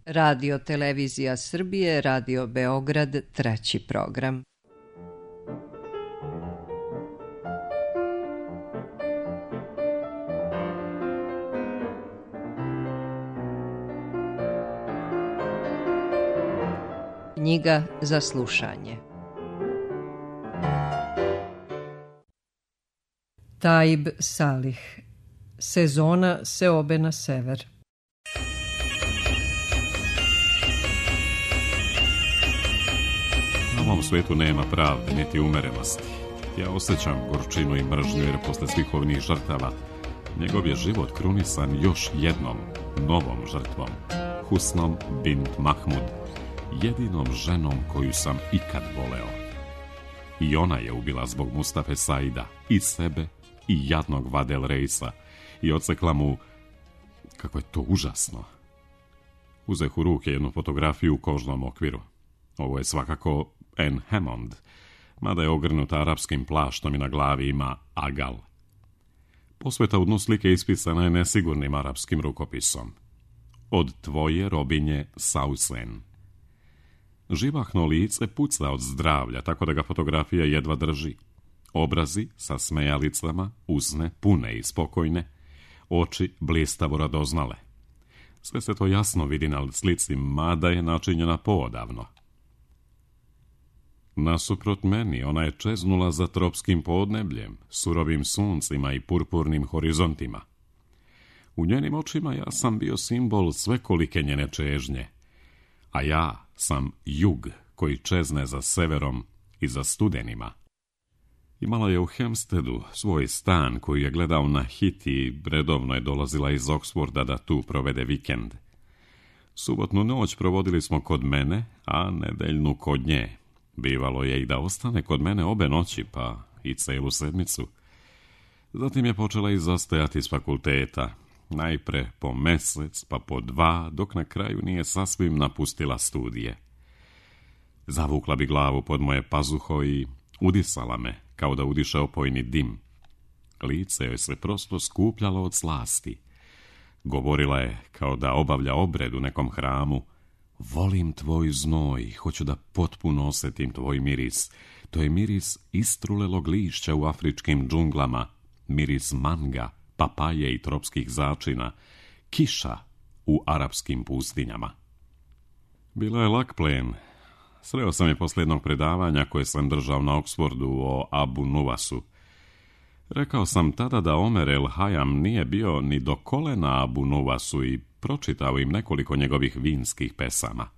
Radio Televizija Srbije, Radio Beograd, 3. program. Knjiga za slušanje. Taib Salih. Sezona seobe na sever. Na ovom svetu nema pravde, niti umerenosti. Ja osjećam gorčinu i mržnju jer posle svih ovih žrtava njegov je život krunisan još jednom novom žrtvom. Husnom bint Mahmud, jedinom ženom koju sam ikad voleo. I ona je ubila zbog Mustafe Saida, i sebe, i jadnog Vadel Reisa, i odsekla mu, kako je to užasno. Uzeh u ruke jednu fotografiju u kožnom okviru. Ovo je svakako Anne Hammond, mada je ogrnuta arapskim plaštom i na glavi ima agal. Posveta u dnu slike ispisana je nesigurnim arapskim rukopisom. Od tvoje robinje Sausen. Živahno lice puca od zdravlja, tako da ga fotografija jedva drži. Obrazi sa smejalicama, usne pune i spokojne, oči blistavo radoznale. Sve se to jasno vidi na slici, mada je načinjena poodavno. Nasuprot meni ona je čeznula za tropskim podnebljem, surovim suncima i purpurnim horizontima. U njenim očima ja sam bio simbol svekolike njene čežnje, a ja sam jug koji čezne za severom i za studenima. Imala je u Hempsteadu svoj stan koji je gledao na hit i redovno je dolazila iz Oxforda da tu provede vikend. Subotnu noć provodili smo kod mene, a nedeljnu kod nje. Bivalo je i da ostane kod mene obe noći, pa i celu sedmicu. Zatim je počela izostajati s fakulteta, najpre po mesec, pa po 2, dok na kraju nije sasvim napustila studije. Zavukla bi glavu pod moje pazuho i udisala me, kao da udiše opojni dim. Lice joj se prosto skupljalo od slasti. Govorila je kao da obavlja obred u nekom hramu. Volim tvoj znoj, hoću da potpuno osjetim tvoj miris. To je miris istrulelog lišća u afričkim džunglama, miris manga, papaje i tropskih začina, kiša u arapskim pustinjama. Bila je lak plen. Sreo sam je posle jednog predavanja koje sam držao na Oxfordu o Abu Nuwasu. Rekao sam tada da Omer El Hayam nije bio ni do kolena Abu Nuwasu i pročitao im nekoliko njegovih vinskih pesama.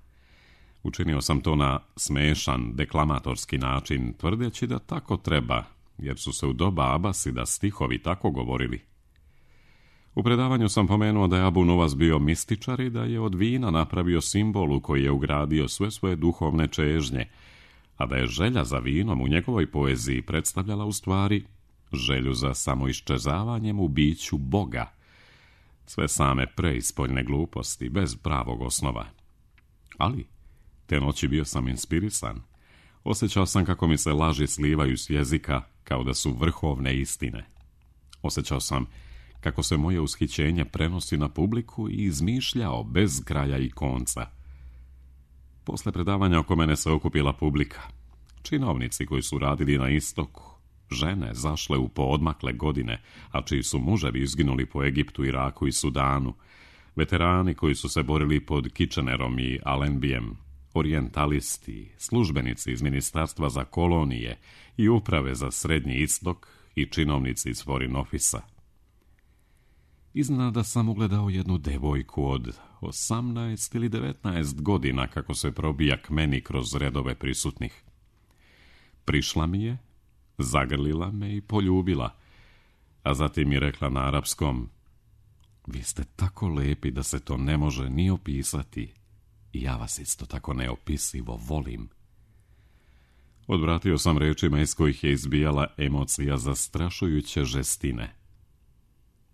Učinio sam to na smešan, deklamatorski način, tvrdeći da tako treba, jer su se u doba Abasida stihovi tako govorili. U predavanju sam pomenuo da je Abu Nuwas bio mističar i da je od vina napravio simbol u koji je ugradio sve svoje duhovne čežnje, a da je želja za vinom u njegovoj poeziji predstavljala u stvari želju za samoiščezavanjem u biću Boga. Sve same preispoljne gluposti, bez pravog osnova. Ali, te noći bio sam inspirisan. Osjećao sam kako mi se laži slivaju s jezika, kao da su vrhovne istine. Osjećao sam kako se moje ushićenje prenosi na publiku i izmišljao bez kraja i konca. Posle predavanja oko mene se okupila publika. Činovnici koji su radili na istoku, žene zašle u poodmakle godine, a čiji su muževi izginuli po Egiptu, Iraku i Sudanu, veterani koji su se borili pod Kitchenerom i Allenbyjem, orijentalisti, službenici iz Ministarstva za kolonije i uprave za Srednji istok i činovnici iz Foreign Office-a. Iznenada sam ugledao jednu devojku od 18 ili 19 godina kako se probija k meni kroz redove prisutnih. Prišla mi je, zagrlila me i poljubila, a zatim mi rekla na arapskom: vi ste tako lepi da se to ne može ni opisati i ja vas isto tako neopisivo volim. Odvratio sam rečima iz kojih je izbijala emocija zastrašujuće žestine.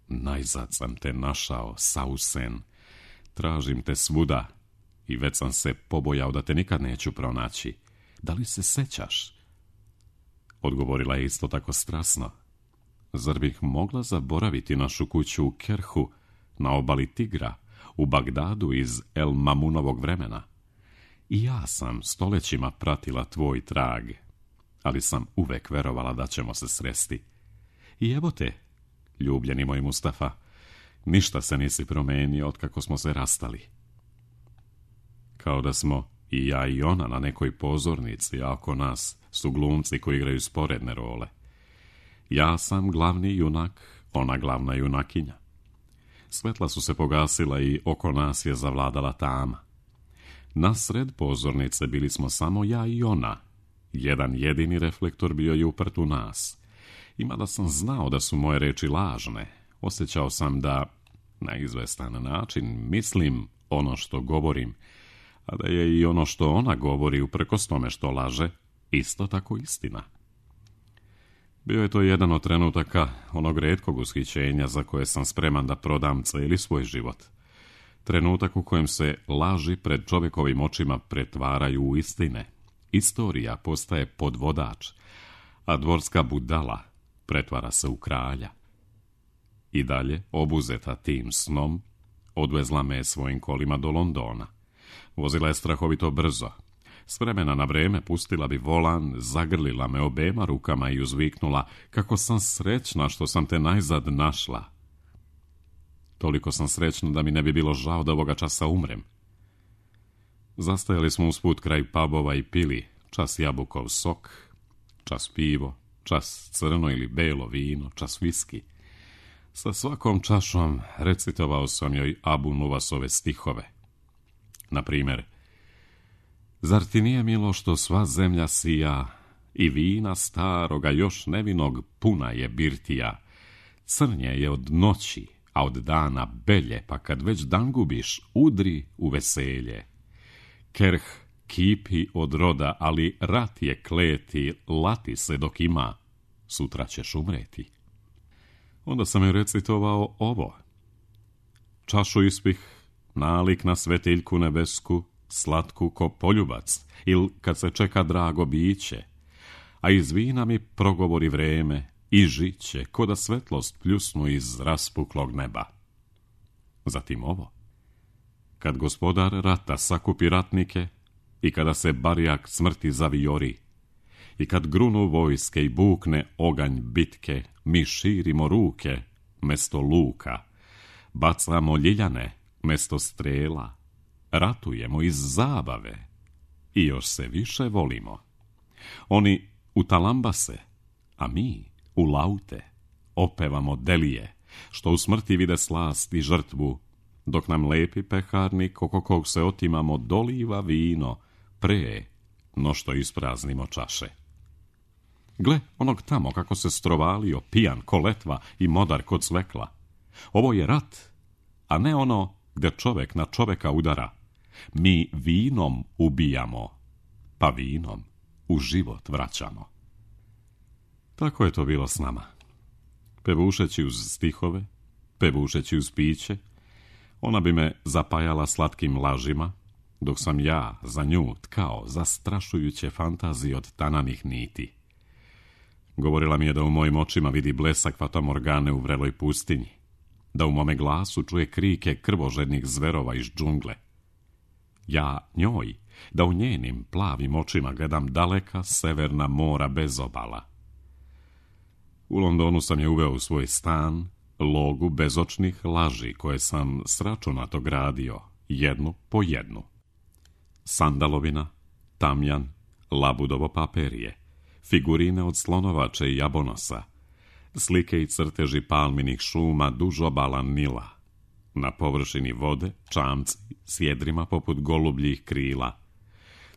Najzad sam te našao, Sausen. Tražim te svuda i već sam se pobojao da te nikad neću pronaći. Da li se sećaš? Odgovorila je isto tako strasno. Zar bih mogla zaboraviti našu kuću u Kerhu, na obali Tigra, u Bagdadu iz El Mamunovog vremena. I ja sam stoljećima pratila tvoj trag, ali sam uvek verovala da ćemo se sresti. I evo te, ljubljeni moj Mustafa, ništa se nisi promenio otkako smo se rastali. Kao da smo i ja i ona na nekoj pozornici, a oko nas su glumci koji igraju sporedne role. Ja sam glavni junak, ona glavna junakinja. Svetla su se pogasila i oko nas je zavladala tama. Nasred pozornice bili smo samo ja i ona. Jedan jedini reflektor bio je uprt u nas. I mada sam znao da su moje reči lažne, osjećao sam da, na izvestan način, mislim ono što govorim, a da je i ono što ona govori uprkos tome što laže, isto tako istina. Bio je to jedan od trenutaka onog retkog ushićenja za koje sam spreman da prodam cijeli svoj život. Trenutak u kojem se laži pred čovjekovim očima pretvaraju u istine. Istorija postaje podvodač, a dvorska budala pretvara se u kralja. I dalje, obuzeta tim snom, odvezla me svojim kolima do Londona. Vozila je strahovito brzo. S vremena na vreme pustila bi volan, zagrlila me obema rukama i uzviknula kako sam srećna što sam te najzad našla. Toliko sam srećna da mi ne bi bilo žao da ovoga časa umrem. Zastajali smo usput kraj pubova i pili, čas jabukov sok, čas pivo, čas crno ili belo vino, čas viski. Sa svakom čašom recitovao sam joj Abu Nuvasove stihove. Na primjer, zar ti nije milo što sva zemlja sija i vina staroga još nevinog puna je birtija, crnje je od noći, a od dana belje, pa kad već dan gubiš, udri u veselje. Kerh kipi od roda, ali rat je kleti, lati se dok ima, sutra ćeš umreti. Onda sam joj recitovao ovo. Čašu ispih, nalik na svetiljku nebesku, slatku ko poljubac, il kad se čeka drago biće, a iz vina mi progovori vreme i žiće, ko da svetlost pljusnu iz raspuklog neba. Zatim ovo. Kad gospodar rata sakupi ratnike i kada se barjak smrti zavijori, i kad grunu vojske i bukne oganj bitke, mi širimo ruke mesto luka, bacamo ljiljane mesto strela, ratujemo iz zabave i još se više volimo. Oni u talambase, a mi u laute opevamo delije, što u smrti vide slast i žrtvu, dok nam lepi peharnik oko kog se otimamo doliva vino pre no što ispraznimo čaše. Gle onog tamo kako se strovalio, pijan ko letva i modar kod svekla. Ovo je rat, a ne ono gdje čovjek na čovjeka udara. Mi vinom ubijamo, pa vinom u život vraćamo. Tako je to bilo s nama. Pevušeći uz stihove, pevušeći uz piće, ona bi me zapajala slatkim lažima, dok sam ja za nju tkao zastrašujuće fantazije od tananih niti. Govorila mi je da u mojim očima vidi blesak fatamorgane u vreloj pustinji, da u mome glasu čuje krike krvožednih zverova iz džungle. Ja njoj, da u njenim plavim očima gledam daleka severna mora bez obala. U Londonu sam je uveo u svoj stan, logu bezočnih laži koje sam sračunato gradio, jednu po jednu. Sandalovina, tamjan, labudovo paperije, figurine od slonovače i jabonosa, slike i crteži palminih šuma duž obala Nila, na površini vode čamci s jedrima poput golubljih krila,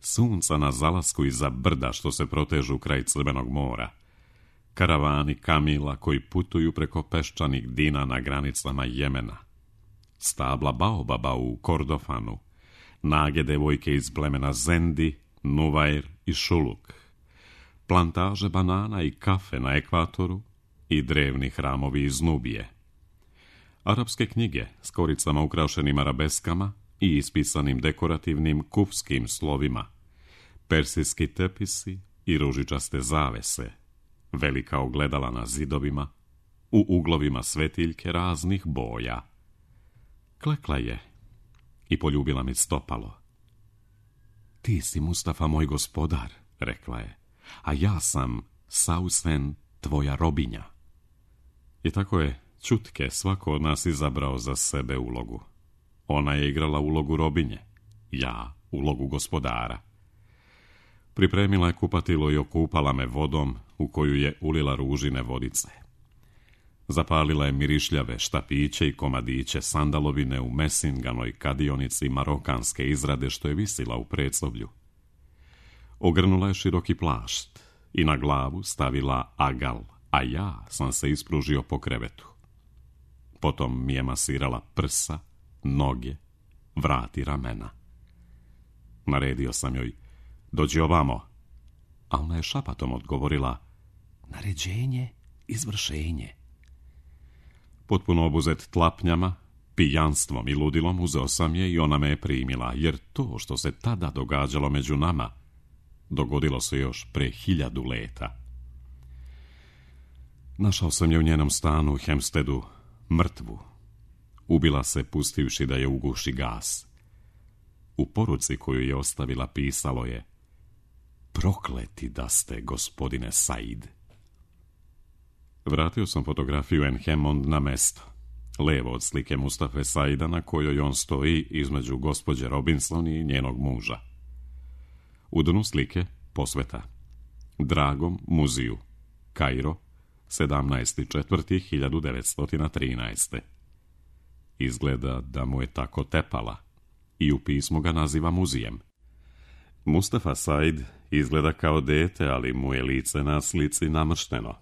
sunca na zalasku iza brda što se protežu kraj Crvenog mora, karavani kamila koji putuju preko peščanih dina na granicama Jemena, stabla baobaba u Kordofanu, nage devojke iz plemena Zendi, Nuvair i Šuluk, plantaže banana i kafe na ekvatoru i drevni hramovi iz Nubije. Arapske knjige s koricama ukrašenim arabeskama i ispisanim dekorativnim kufskim slovima, persijski tepisi i ružičaste zavese, velika ogledala na zidovima, u uglovima svetiljke raznih boja. Klekla je i poljubila mi stopalo. Ti si, Mustafa, moj gospodar, rekla je, a ja sam, Sausen, tvoja robinja. I tako je čutke svako od nas izabrao za sebe ulogu. Ona je igrala ulogu robinje, ja ulogu gospodara. Pripremila je kupatilo i okupala me vodom u koju je ulila ružine vodice. Zapalila je mirišljave štapiće i komadiće sandalovine u mesinganoj kadionici marokanske izrade što je visila u predsoblju. Ogrnula je široki plašt i na glavu stavila agal, a ja sam se ispružio po krevetu. Potom mi je masirala prsa, noge, vrat i ramena. Naredio sam joj, dođi ovamo, a ona je šapatom odgovorila, naređenje, izvršenje. Potpuno obuzet tlapnjama, pijanstvom i ludilom uzeo sam je i ona me je primila, jer to što se tada događalo među nama, dogodilo se još pre 1000 leta. Našao sam je u njenom stanu u Hempsteadu, mrtvu. Ubila se pustivši da je uguši gas. U poruci koju je ostavila pisalo je, prokleti da ste, gospodine Said. Vratio sam fotografiju Anne Hammond na mesto, levo od slike Mustafe Saida na kojoj on stoji između gospođe Robinson i njenog muža. U dnu slike posveta. Dragom Muziju, Kairo, 17.4.1913. Izgleda da mu je tako tepala i u pismu ga naziva Muzijem. Mustafa Said izgleda kao dete, ali mu je lice na slici namršteno.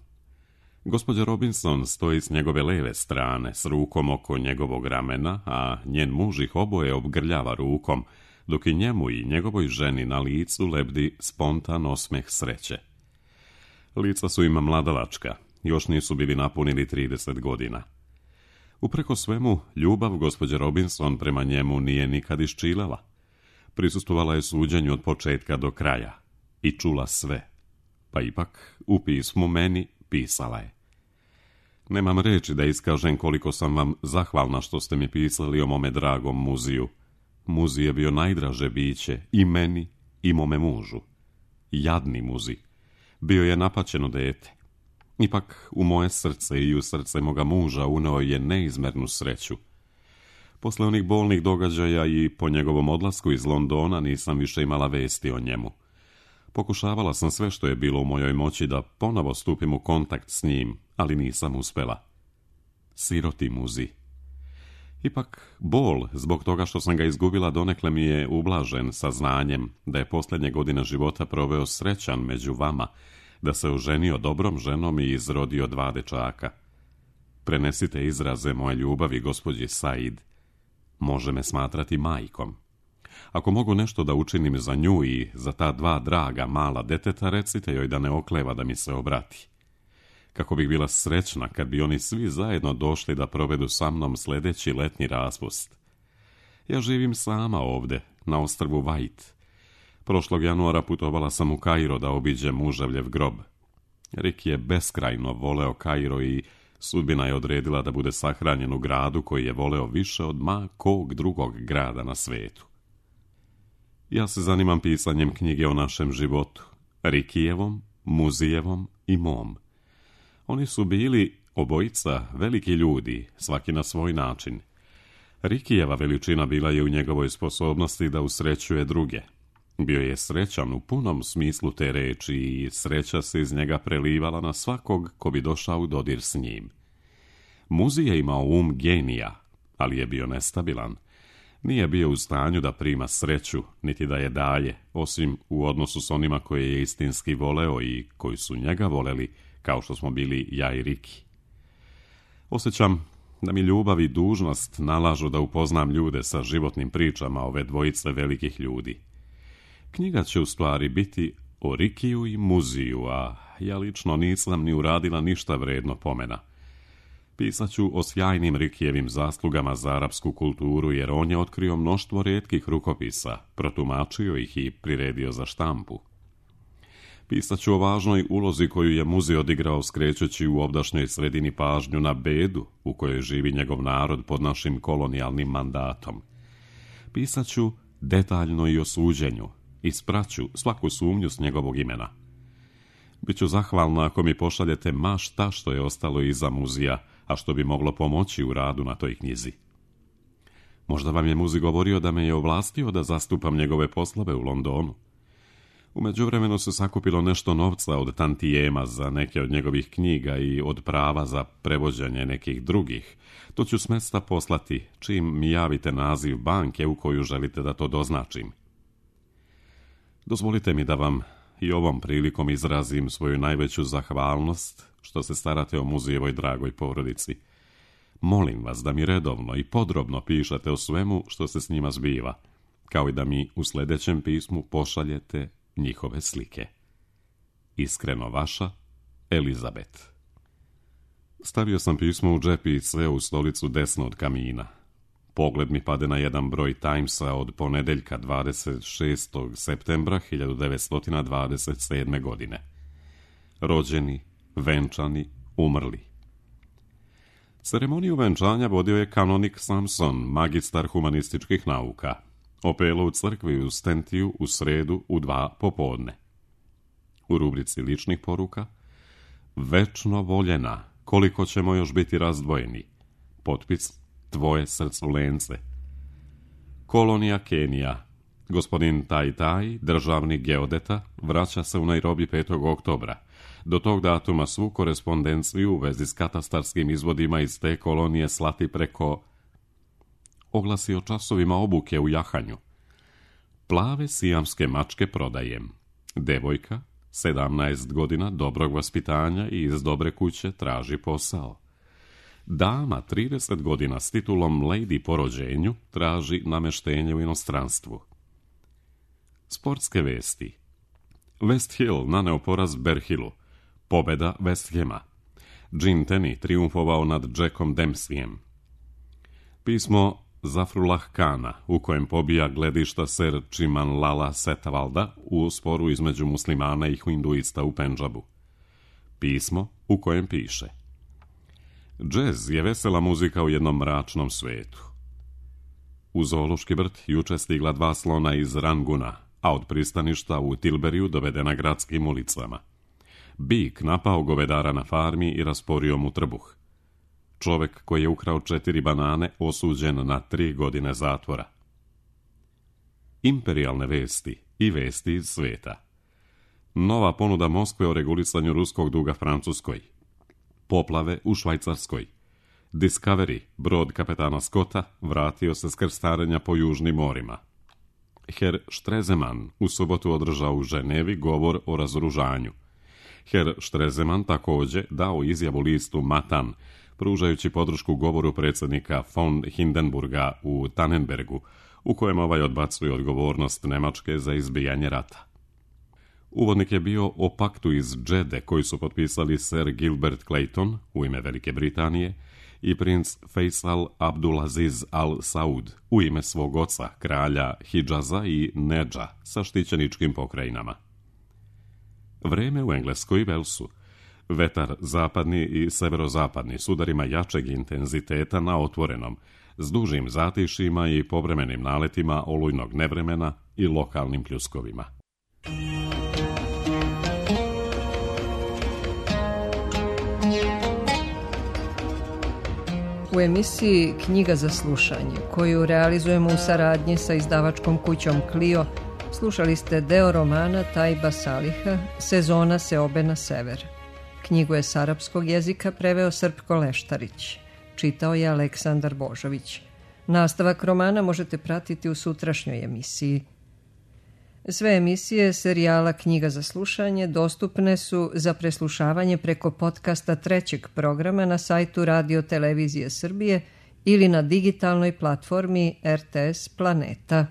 Gospođa Robinson stoji s njegove leve strane, s rukom oko njegovog ramena, a njen muž ih oboje obgrljava rukom, dok i njemu i njegovoj ženi na licu lebdi spontan osmeh sreće. Lica su ima mladalačka, još nisu bili napunili 30 godina. Upreko svemu, ljubav gospođe Robinson prema njemu nije nikad iščilala. Prisustvovala je suđenju od početka do kraja i čula sve, pa ipak u pismu meni pisala je. Nemam reči da iskažem koliko sam vam zahvalna što ste mi pisali o mome dragom Muziju. Muzi je bio najdraže biće i meni i mome mužu. Jadni Muzi. Bio je napaćeno dete. Ipak u moje srce i u srce moga muža uneo je neizmernu sreću. Posle onih bolnih događaja i po njegovom odlasku iz Londona nisam više imala vesti o njemu. Pokušavala sam sve što je bilo u mojoj moći da ponovo stupim u kontakt s njim, ali nisam uspela. Siroti Muzi. Ipak, bol zbog toga što sam ga izgubila donekle mi je ublažen saznanjem da je posljednje godine života proveo srećan među vama, da se oženio dobrom ženom i izrodio 2 dečaka. Prenesite izraze moje ljubavi gospođi Said. Može me smatrati majkom. Ako mogu nešto da učinim za nju i za ta 2 draga mala deteta, recite joj da ne okleva da mi se obrati. Kako bih bila srećna kad bi oni svi zajedno došli da provedu sa mnom sljedeći letnji raspust. Ja živim sama ovde, na ostrvu White. Prošlog januara putovala sam u Kairo da obiđem muževljev grob. Rick je beskrajno voleo Kairo i sudbina je odredila da bude sahranjen u gradu koji je voleo više od ma kog drugog grada na svetu. Ja se zanimam pisanjem knjige o našem životu, Rickijevom, Muzijevom i mom. Oni su bili obojica veliki ljudi, svaki na svoj način. Rickijeva veličina bila je u njegovoj sposobnosti da usrećuje druge. Bio je srećan u punom smislu te reči i sreća se iz njega prelivala na svakog ko bi došao u dodir s njim. Muzi je imao um genija, ali je bio nestabilan. Nije bio u stanju da prima sreću, niti da je daje, osim u odnosu s onima koje je istinski voleo i koji su njega voleli, kao što smo bili ja i Riki. Osjećam da mi ljubav i dužnost nalažu da upoznam ljude sa životnim pričama ove dvojice velikih ljudi. Knjiga će u stvari biti o Rikiju i Muziju, a ja lično nisam ni uradila ništa vredno pomena. Pisat ću o sjajnim Rikijevim zaslugama za arapsku kulturu, jer on je otkrio mnoštvo rijetkih rukopisa, protumačio ih i priredio za štampu. Pisat ću o važnoj ulozi koju je Muzi odigrao skrećući u ovdašnjoj sredini pažnju na bedu u kojoj živi njegov narod pod našim kolonijalnim mandatom. Pisat ću detaljno i o suđenju, ispraću svaku sumnju s njegovog imena. Biću zahvalna ako mi pošaljete ma šta što je ostalo iza Muzija, a što bi moglo pomoći u radu na toj knjizi. Možda vam je Muzi govorio da me je ovlastio da zastupam njegove poslove u Londonu. U međuvremenu se sakupilo nešto novca od tantijema za neke od njegovih knjiga i od prava za prevođenje nekih drugih. To ću s mesta poslati čim mi javite naziv banke u koju želite da to doznačim. Dozvolite mi da vam i ovom prilikom izrazim svoju najveću zahvalnost što se starate o Muzijevoj dragoj porodici. Molim vas da mi redovno i podrobno pišete o svemu što se s njima zbiva, kao i da mi u sljedećem pismu pošaljete njihove slike. Iskreno vaša, Elizabet. Stavio sam pismo u džep i sve u stolicu desno od kamina. Pogled mi pade na jedan broj Timesa od ponedeljka 26. septembra 1927. godine. Rođeni, venčani, umrli. Ceremoniju venčanja vodio je kanonik Samson, magistar humanističkih nauka. Opelo u crkvi u Stentiju u sredu u 2 popodne. U rubrici ličnih poruka: večno voljena, koliko ćemo još biti razdvojeni. Potpis: tvoje srculence. Kolonija Kenija. Gospodin Tai, državni geodeta, vraća se u Nairobi 5. oktobra. Do tog datuma svu korespondenciju u vezi s katastarskim izvodima iz te kolonije slati preko... Oglasi o časovima obuke u jahanju. Plave sijamske mačke prodajem. Devojka, 17 godina, dobrog vaspitanja i iz dobre kuće, traži posao. Dama, 30 godina, s titulom Lady po rođenju, traži nameštenje u inostranstvu. Sportske vesti. West Hill naneo poraz Berhilu. Pobeda West Hama. Gene Tenney triumfovao nad Jackom Dempseyem. Pismo Zafrullah Kana, u kojem pobija gledišta Ser Chimanlala Setavalda u sporu između muslimana i hinduista u Pendžabu. Pismo u kojem piše: džez je vesela muzika u jednom mračnom svetu. U zoološki vrt juče stigla 2 slona iz Ranguna, a od pristaništa u Tilberiju dovedena gradskim ulicama. Bik napao govedara na farmi i rasporio mu trbuh. Čovek koji je ukrao 4 banane osuđen na 3 godine zatvora. Imperijalne vesti i vesti iz sveta. Nova ponuda Moskve o regulisanju ruskog duga Francuskoj. Poplave u Švajcarskoj. Discovery, brod kapetana Scotta, vratio se s krstarenja po južnim morima. Herr Stresemann u subotu održao u Ženevi govor o razoružanju. Herr Stresemann također dao izjavu listu Matan, pružajući podršku govoru predsjednika von Hindenburga u Tannenbergu, u kojem ovaj odbacuje odgovornost Nemačke za izbijanje rata. Uvodnik je bio o paktu iz Džede koji su potpisali Sir Gilbert Clayton u ime Velike Britanije i princ Faisal Abdulaziz Al Saud u ime svog oca, kralja Hidžaza i Nedža sa štićeničkim pokrajinama. Vreme u Engleskoj i Velsu. Vetar zapadni i severozapadni s udarima jačeg intenziteta na otvorenom, s dužim zatišima i povremenim naletima olujnog nevremena i lokalnim pljuskovima. U emisiji Knjiga za slušanje, koju realizujemo u saradnji sa izdavačkom kućom Clio, slušali ste deo romana Tajba Saliha Sezona seobe na sever. Knjigu je s arapskog jezika preveo Srpko Leštarić. Čitao je Aleksandar Božović. Nastavak romana možete pratiti u sutrašnjoj emisiji. Sve emisije serijala Knjiga za slušanje dostupne su za preslušavanje preko podcasta 3. programa na sajtu Radio Televizije Srbije ili na digitalnoj platformi RTS Planeta.